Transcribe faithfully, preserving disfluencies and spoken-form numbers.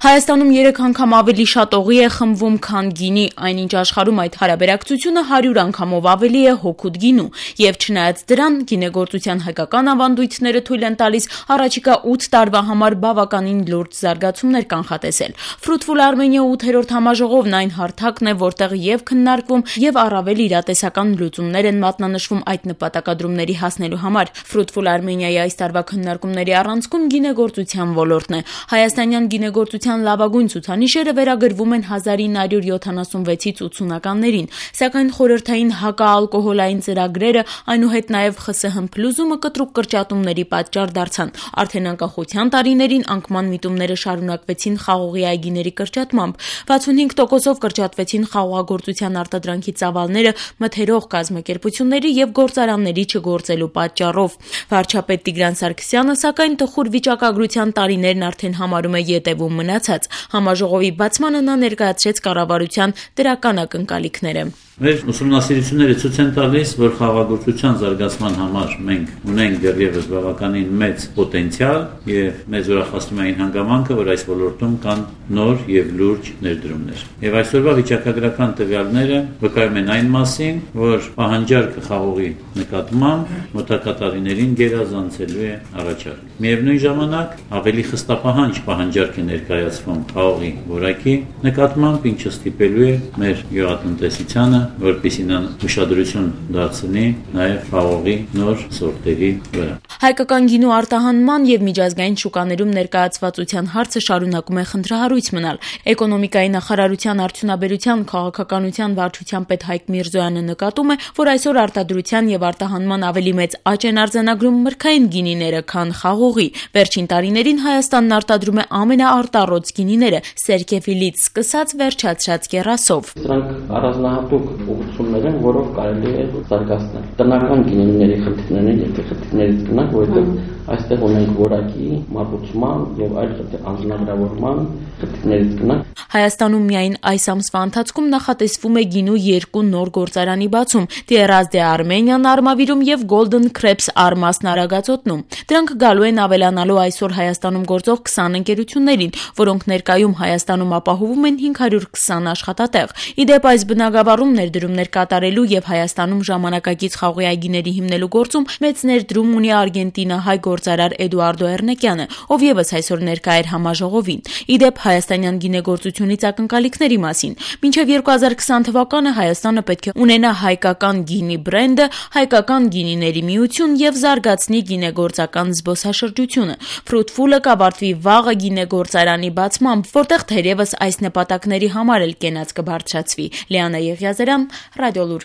Հայաստանում երեք անգամ ավելի շատ օղի է խմվում, քան գինի, այնինչ աշխարհում այդ հարաբերակցությունը հարյուր անգամով ավելի է հօգուտ գինու, եւ չնայած դրան, գինեգործության հայկական ավանդույթները թույլ են տալիս առաջիկա ութ տարվա համար բավականին լուրջ զարգացումներ կանխատեսել։ Fruitful Armenia ութերորդ համաժողովն այն հարթակն է, որտեղ եւ քննարկվում եւ առավել իրատեսական լուծումներ են մատնանշվում այդ նպատակադրումների հասնելու համար։ Fruitful Armenia-ի այս տարվա քննարկումների առանցքում գինեգործության ոլորտն է։ Հայաստանյան գինեգործության լավագույն ցուցանիշերը վերագրվում են հազար ինը հարյուր յոթանասունվեցից ութսունականներին, սակայն խորհրդային հակաալկոհոլային ծրագրերը, այնուհետ նաև ԽՍՀՄ փլուզումը կտրուկ կրճատումների պատճառ դարձան։ Արդեն անկախության տարիներին անկման միտումները շարունակվեցին խաղողի այգիների կրճատմամբ, վաթսունհինգ տոկոսով կրճատվեցին խաղողագործության արտադրանքի ծավալները մթերող կազմակերպությունների եւ գործարանների չգործելու պատճառով։ Վարչապետ Տիգրան Սարգսյանը, սակայն, տխուր վիճակագրության տարիներն արդեն համարում է ետևում մնացած։ Համաժողովի բացմանը նա ներկայացրեց կառավարության դրական ակնկալիքները։ Մեր ուսումնասիրությունները ցույց են տալիս, որ խաղաղագործության զարգացման համար մենք ունենք դեռևս բավականին մեծ պոտենցիալ եւ մեզ ուրախացնում է այն հանգամանքը, որ այս ոլորտում կան նոր եւ լուրջ ներդրումներ։ Եվ այսօրվա վիճակագրական տվյալները վկայում են այն մասին, որ պահանջարկը խաղողի նկատմամբ մոտակա տարիներին գերազանցելու է առաջարկ։ Միևնույն ժամանակ ավելի խստապահանջ պահանջարկ է ներկայացվում խաղողի որակի նկատմամբ, ինչը ստիպելու է մեր գյուղատնտեսությանը, որպեսզի նա ուշադրություն դարձնի նաև խաղողի նոր սորտերի վրա։ Հայկական գինու արտահանման եւ միջազգային շուկաներում ներկայացվածության հարցը շարունակում է խնդրահարույց մնալ։ Էկոնոմիկայի նախարարության արդյունաբերության քաղաքականության վարչության պետ Հայկ Միրզոյանը նկատում է, որ այսօր արտադրության եւ արտահանման ավելի մեծ աճ են արձանագրում մրգային գինիները, քան խաղողի։ Վերջին տարիներին Հայաստանն արտադրում է ամենաարտառոց գինիները՝ սերկեֆիլից սկսած վերջացրած կեռասով։ Դրանք առանձնահատուկ ուղղություններ են, որով կարելի է զարգացնել։ Տնական գինիների խնդիրներն են, եթե խնդիրներից գնանք, որովհետև այստեղ ունենք որակի, մատուցման եւ այլ անձնագրավորման խնդիրներից գնանք։ Հայաստանում միայն այս ամսվա ընթացքում նախատեսվում է գինու երկու նոր գործարանի բացում՝ Tierras de Armenian Արմավիրում եւ Golden Crepes Արմասն Արագածոտնում։ Դրանք գալու են ավելանալու այսօր Հայաստանում գործող քսան ընկերություններին, որոնք ներկայում Հայաստանում ապահովում են հինգ հարյուր քսան աշխատատեղ։ Իդեպ այս բնագավառում ներդրումներ կատարելու եւ Հայաստանում ժամանակակից խաղողի այգիների հիմնելու գործում մեծ ներդրում ունի արգենտինահայ գործարար Էդուարդո Էրնեկյանը, ով եւս այսօր ներկա էր համաժողովին։ Իդեպ հայաստանյան գինեգործությունից ակնկալիքների մասին։ Մինչև երկու հազար քսան թվականը Հայաստանը պետք է ունենա հայկական գինի բրենդը, հայկական գինիների միություն եւ զարգացնի գինեգործական զբոսաշրջությունը։ Fruitful-ը կավարտվի վաղը գինեգործարանի բացմամբ, որտեղ թերևս այս նպատակների համար էլ կենաց կբարձրացվի։ Լիանա Եղիազարյան, Ռադիոլուր։